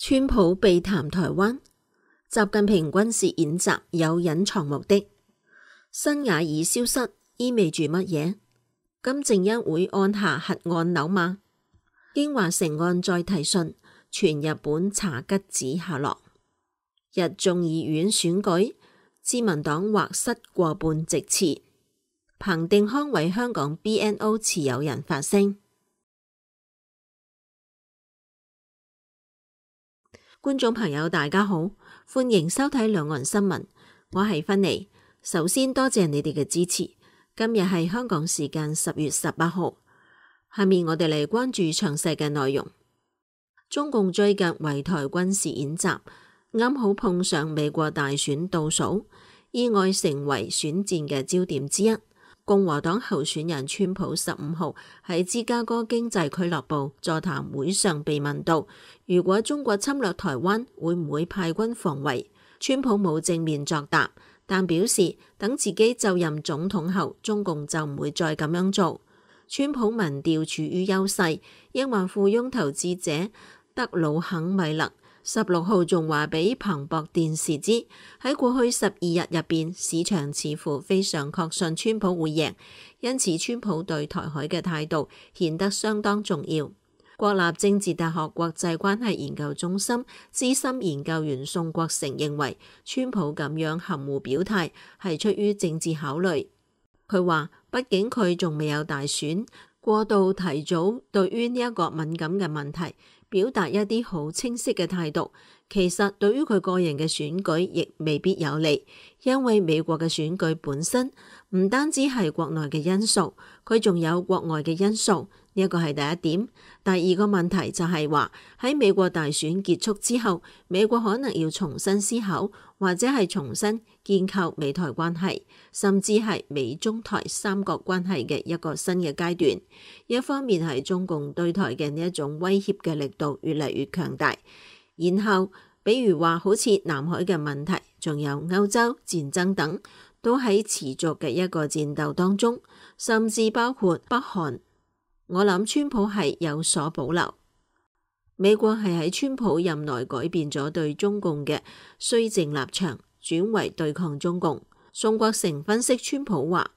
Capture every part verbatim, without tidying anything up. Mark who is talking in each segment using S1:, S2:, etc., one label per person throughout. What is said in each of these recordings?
S1: 川普避談台灣，習近平軍事演習有隱藏目的。辛瓦爾消失意味住乜嘢？金正恩會按下核按鈕嗎？京華城案再提訊，傳日本查吉子下落。日眾議院選舉，自民黨或失過半席次。彭定康為香港 B N O 持有人發聲。觀眾朋友大家好，歡迎收睇兩岸新聞，我係芬妮。首先多謝你哋嘅支持。今日係香港時間十月十八號，下面我哋嚟關注詳細嘅內容。中共最近圍台軍事演習，啱好碰上美國大選倒數，意外成為選戰嘅焦點之一。共和黨候選人川普十五號喺芝加哥經濟俱樂部座談會上被問到，如果中國侵略台灣，會唔會派軍防衛？川普冇正面作答，但表示等自己就任總統後，中共就唔會再咁樣做。川普民調處於優勢，億萬富翁投資者德魯肯米勒十六號仲話俾彭博電視知，喺過去十二日入邊，市場似乎非常確信川普會贏，因此川普對台海嘅態度顯得相當重要。國立政治大學國際關係研究中心資深研究員宋國成認為，川普咁樣含糊表態係出於政治考慮。佢話，畢竟佢仲未有大選，過度提早對於呢一個敏感嘅問題表達一啲好清晰嘅態度，其實對於佢個人嘅選舉亦未必有利，因為美國嘅選舉本身唔單止係國內嘅因素，佢仲有國外嘅因素，呢一個係第一點。第二個問題就係話，喺美國大選結束之後，美國可能要重新思考，或者係重新建構美台關係，甚至係美中台三角關係嘅一個新嘅階段。一方面係中共對台嘅呢一種威脅嘅力度越嚟越強大，然後比如話好似南海嘅問題，仲有歐洲戰爭等，都喺持續嘅一個戰鬥當中，甚至包括北韓。我諗川普係有所保留。美國係喺川普任內改變咗對中共嘅綏靖立場，轉為對抗中共。宋國成分析川普話，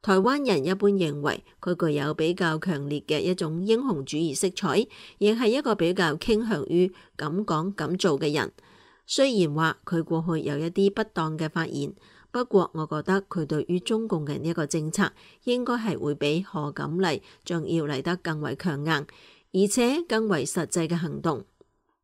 S1: 台灣人一般認為佢具有比較強烈嘅一種英雄主義色彩，亦係一個比較傾向於敢講敢做嘅人。雖然話佢過去有一啲不當嘅發言，不過我覺得佢對於中共嘅呢一個政策應該係會比賀錦麗仲要嚟得更為強硬，而且更為實際嘅行動。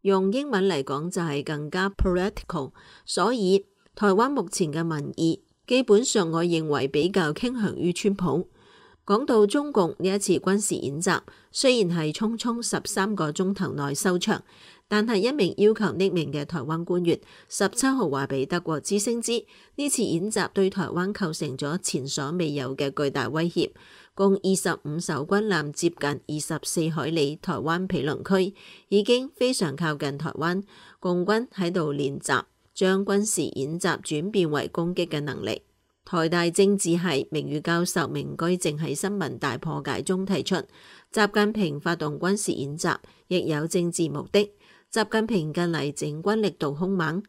S1: 用英文嚟講就係更加 political。所以台灣目前嘅民意基本上我認為比較傾向於川普。講到中共呢一次軍事演習，雖然係匆匆十三個鐘頭內收場，但係一名要求匿名嘅台灣官員十七號話俾德國之聲知，呢次演習對台灣構成咗前所未有嘅巨大威脅。共二十五艘軍艦接近二十四海里台灣毗鄰區，已經非常靠近台灣，共軍喺度練習將軍事演習轉變為攻擊嘅能力。台大政治系名譽教授明居正喺新聞大破解中提出，習近平發動軍事演習亦有政治目的。習近平近嚟整軍力度兇猛，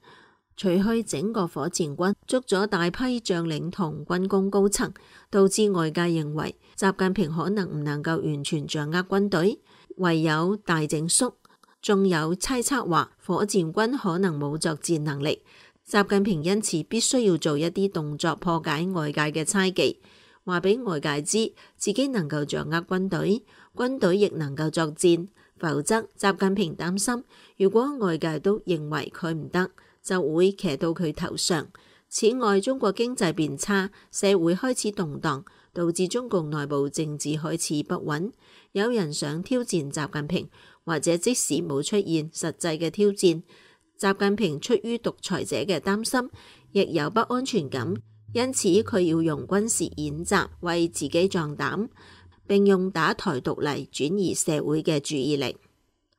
S1: 除去整個火箭軍，捉咗大批將領同軍工高層，導致外界認為習近平可能唔能夠完全掌握軍隊，唯有大整肅。仲有猜測話火箭軍可能冇作戰能力。習近平因此必須要做一啲動作破解外界嘅猜忌，話俾外界知自己能夠掌握軍隊，軍隊亦能夠作戰，否則習近平擔心，如果外界都認為佢唔得，就會騎到佢頭上。此外，中國經濟變差，社會開始動盪，導致中共內部政治開始不穩，有人想挑戰習近平，或者即使冇出現實際嘅挑戰，習近平出於獨裁者嘅擔心，亦有不安全感，因此佢要用軍事演習為自己壯膽，並用打台獨嚟轉移社會嘅注意力。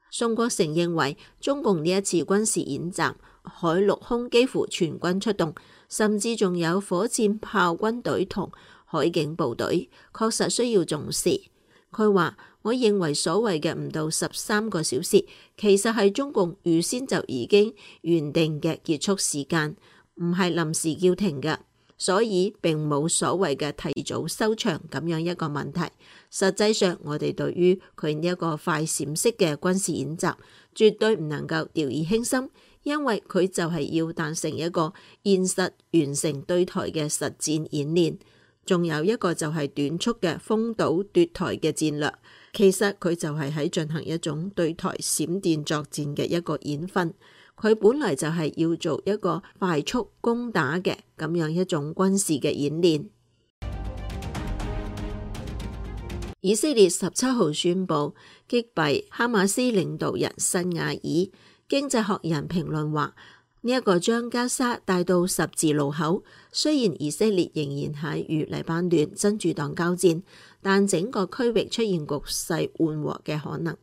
S1: 宋國成認為，中共呢一次軍事演習，海陸空幾乎全軍出動，甚至仲有火箭炮軍隊同海警部隊，確實需要重視。佢話：我認為所謂嘅唔到十三個小時，其實係中共預先就已經原定嘅結束時間，唔係臨時叫停嘅，所以並冇所謂嘅提早收場咁樣一個問題。實際上，我哋對於佢呢一個快閃式嘅軍事演習，絕對唔能夠掉以輕心，因為佢就係要達成一個現實完成對台嘅實戰演練。仲有一個就係短促嘅封堵奪台嘅戰略，其實佢就係喺進行一種對台閃電作戰嘅一個演訓。佢本來就係要做一個快速攻打嘅咁樣一種軍事嘅演練。以色列十七號宣布擊斃哈馬斯領導人辛瓦爾。經濟學人評論話，呢一個將加沙帶到十字路口，雖然以色列仍然喺與黎巴嫩真主黨交戰，但整個區域出現局勢緩和嘅可能。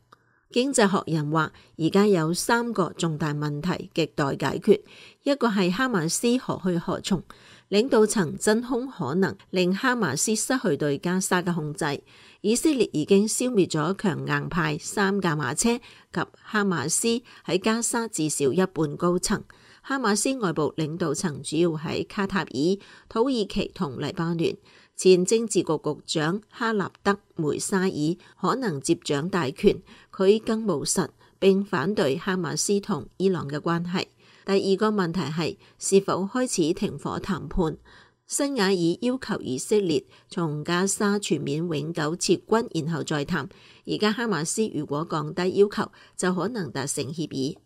S1: 經濟學人話，而家有三個重大問題亟待解決，一個係哈馬斯何去何從，領導層真空可能令哈馬斯失去對加沙嘅控制。以色列已經消滅咗強硬派三架馬車及哈馬斯喺加沙至少一半高層。哈馬斯外部領導層主要喺卡塔爾、土耳其同黎巴嫩。前政治局局長哈納德梅沙爾可能接掌大權，佢更務實並反對哈馬斯同伊朗嘅關係。第二個問題係是否開始停火談判。辛瓦爾要求以色列從加沙全面永久撤軍，然後再談。而家哈馬斯如果降低要求，就可能達成協議。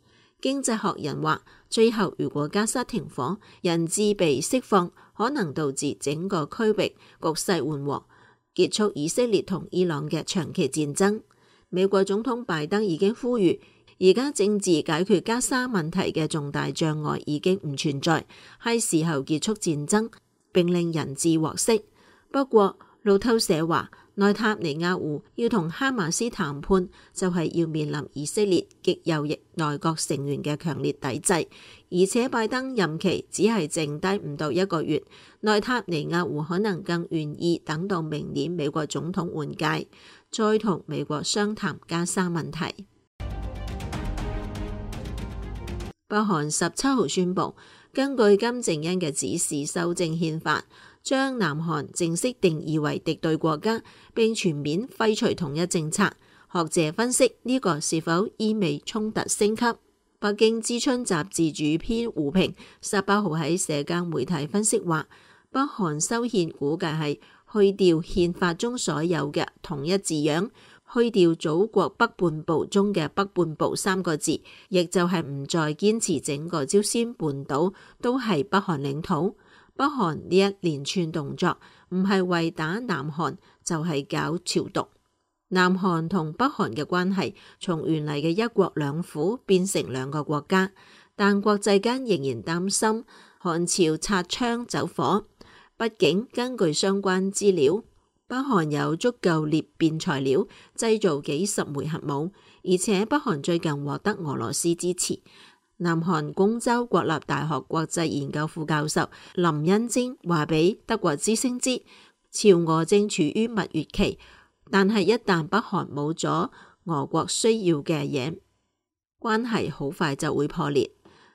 S1: 經濟學人話，最後如果加沙停火，人質被釋放，可能導致整個區域局勢緩和，結束以色列同伊朗嘅長期戰爭。美國總統拜登已經呼籲，而家政治解決加沙問題嘅重大障礙已經唔存在，係時候結束戰爭並令人質獲釋。不過路透社話，內塔尼亞胡要同哈馬斯談判，就係要面臨以色列極右翼內閣成員嘅強烈抵制，而且拜登任期只係剩低唔到一個月，內塔尼亞胡可能更願意等到明年美國總統換屆，再同美國商談加沙問題。北韓十七號宣布，根據金正恩嘅指示修正憲法，將南韓正式定義為敵對國家，並全面廢除統一政策。學者分析呢個是否意味衝突升級？北京知春雜誌主編胡平十八號喺社交媒體分析話，北韓修憲估計係去掉憲法中所有嘅統一字樣，去掉祖國北半部中嘅北半部三個字，亦就係唔再堅持整個朝鮮半島都係北韓領土。北韓呢一連串動作唔係為打南韓，就係搞朝獨。南韓同北韓嘅關係從原嚟嘅一國兩府變成兩個國家，但國際間仍然擔心韓朝擦槍走火。畢竟根據相關資料，北韓有足夠裂變材料製造幾十枚核武，而且北韓最近獲得俄羅斯支持。南韓公州國立大學國際研究副教授林恩貞話俾德國之聲知，朝俄正處於蜜月期，但係一旦北韓冇咗俄國需要嘅嘢，關係好快就會破裂。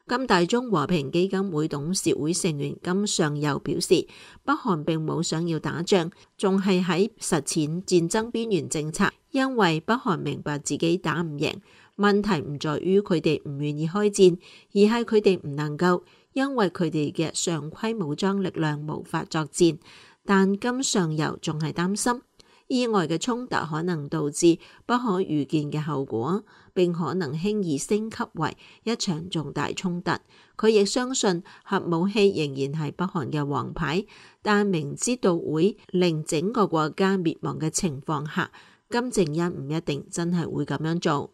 S1: 金大中和平基金會董事會成員金上佑表示，北韓並冇想要打仗，仲係喺實踐戰爭邊緣政策，因為北韓明白自己打唔贏。問題唔在於佢哋唔願意開戰，而係佢哋唔能夠，因為佢哋嘅常規武裝力量無法作戰。但金上游仲係擔心，意外嘅衝突可能導致不可預見嘅後果，並可能輕易升級為一場重大衝突。佢亦相信核武器仍然係北韓嘅王牌，但明知道會令整個國家滅亡嘅情況下，金正恩唔一定真係會咁樣做。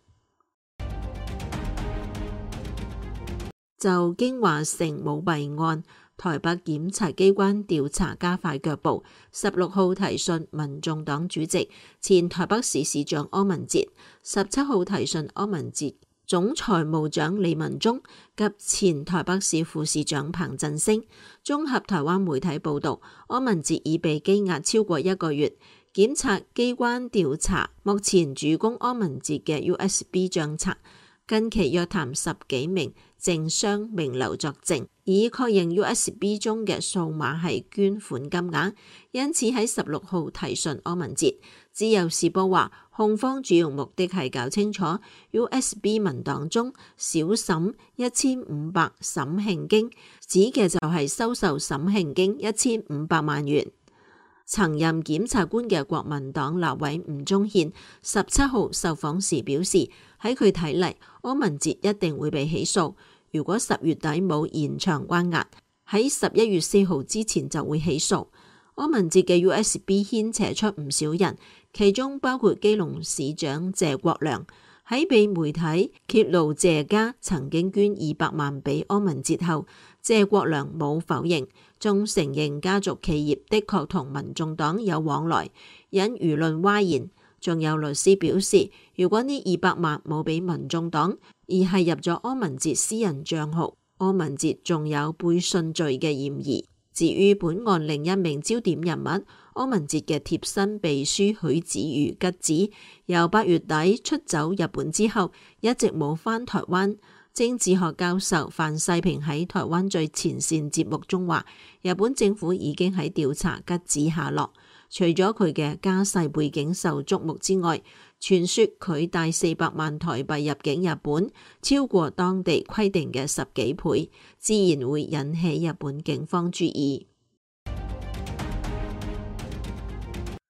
S1: 就京華城舞弊案，台北檢察機關調查加快腳步，十六號提訊民眾黨主席、前台北市市長柯文哲，十七號提訊柯文哲總財務長李文忠及前台北市副市長彭振聲。綜合台灣媒體報道，柯文哲已被羈押超過一個月，檢察機關調查目前主攻柯文哲嘅 U S B 賬冊，近期約談十幾名政商名流作證，以確認 U S B 中嘅數碼係捐款金額，因此喺十六號提訊柯文哲。自由時報話，控方主要目的係搞清楚 U S B 文檔中少審一千五百審慶經，指嘅就係收受審慶經一千五百萬元。曾任檢察官嘅國民黨立委吳宗憲十七號受訪時表示，喺佢睇嚟，柯文哲一定會被起訴。如果十月底冇延長關押，喺十一月四號之前就會起訴。柯文哲嘅 U S B 牽扯出唔少人，其中包括基隆市長謝國良。喺被媒體揭露謝家曾經捐二百萬俾柯文哲後，謝國良冇否認，仲承認家族企業的確同民眾黨有往來，引輿論譁然。仲有律師表示，如果呢二百萬冇俾民眾黨，而係入咗柯文哲私人賬號，柯文哲仲有背信罪嘅嫌疑。至於本案另一名焦點人物，柯文哲嘅貼身秘書許子瑜吉子，由八月底出走日本之後，一直冇返台灣。政治學教授范世平喺台灣最前線節目中話，日本政府已經喺調查吉子下落。除咗佢嘅家世背景受矚目之外，傳說佢帶四百萬台幣入境日本，超過當地規定嘅十幾倍，自然會引起日本警方注意。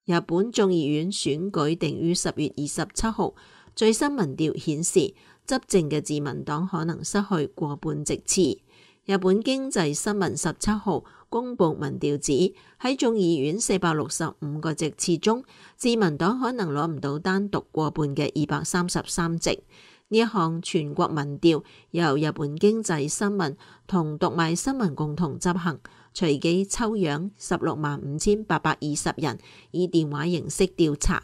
S1: 日本眾議院選舉定於十月二十七號，最新民調顯示，執政嘅自民黨可能失去過半席次。日本經濟新聞十七號公布民調指，喺眾議院四百六十五個席次中，自民黨可能攞唔到單獨過半嘅二百三十三席。呢一項全國民調由日本經濟新聞同讀賣新聞共同執行，隨機抽樣十六萬五千八百二十人，以電話形式調查。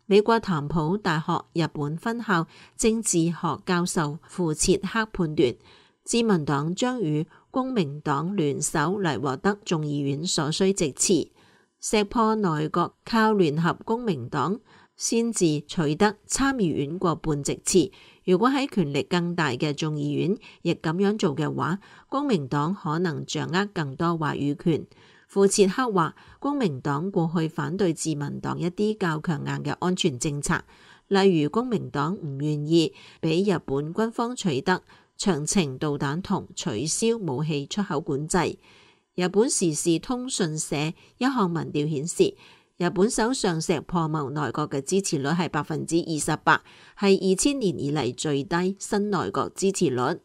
S1: 美國譚普大學日本分校政治學教授傅切克判斷，自民黨將與公明黨聯手嚟獲得眾議院所需席次，石破內閣靠聯合公明黨先至取得參議院過半席次。如果喺權力更大嘅眾議院亦咁樣做嘅話，公明黨可能掌握更多話語權。傅切克話，公明黨過去反對自民黨一啲較強硬嘅安全政策，例如公明黨唔願意俾日本軍方取得長程導彈同取消武器出口管制。日本時事通訊社一項民調顯示，日本首相石破茂內閣嘅支持率係百分之二十八，係二千年以嚟最低新內閣支持率。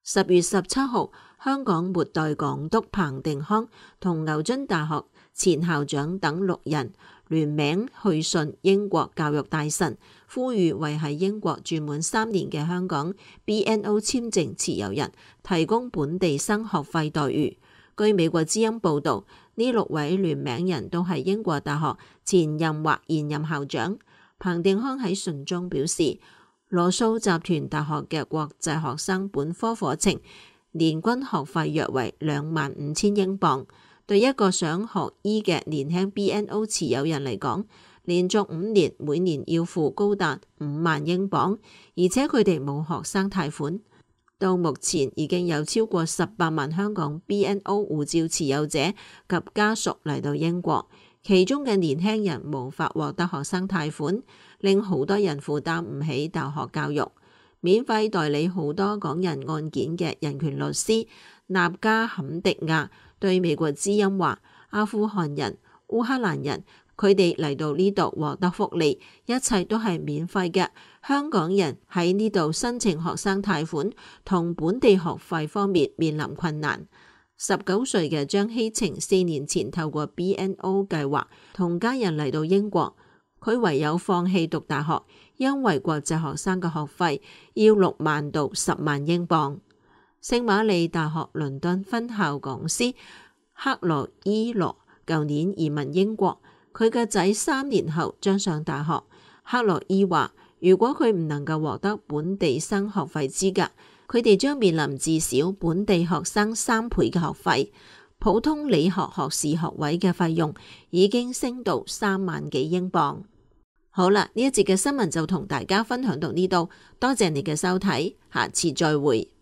S1: 十月十七號，香港末代港督彭定康同牛津大學前校長等六人聯名去信英國教育大臣，呼籲為喺英國住滿三年嘅香港 B N O 簽證持有人提供本地生學費待遇。據美國之音報導，呢六位聯名人都係英國大學前任或現任校長。彭定康喺信中表示，羅素集團大學嘅國際學生本科課程年均學費約為兩萬五千英鎊，對一個想學醫嘅年輕 B N O 持有人嚟講，連續五年每年要付高達五萬英鎊，而且佢哋冇學生貸款。到目前已經有超過十八萬香港 B N O 護照持有者及家屬嚟到英國，其中嘅年輕人無法獲得學生貸款，令好多人負擔唔起大學教育。免費代理好多港人案件嘅人權律師納加坎迪亞對美國之音話，阿富汗人、烏克蘭人，佢哋嚟到呢度獲得福利，一切都係免費嘅。香港人喺呢度申請學生貸款同本地學費方面面臨困難。十九歲嘅張希晴四年前透過 B N O 計劃同家人嚟到英國，佢唯有放棄讀大學，因為國際學生嘅學費要六萬到十萬英鎊。聖瑪利大學倫敦分校講師克羅伊羅舊年移民英國，佢嘅仔三年後將上大學。克羅伊話，如果佢唔能夠獲得本地生學費資格，佢哋將面臨至少本地學生三倍嘅學費。普通理學學士學位嘅費用已經升到三萬幾英鎊。好啦，呢一節嘅新聞就同大家分享到呢度，多謝你嘅收睇，下次再會。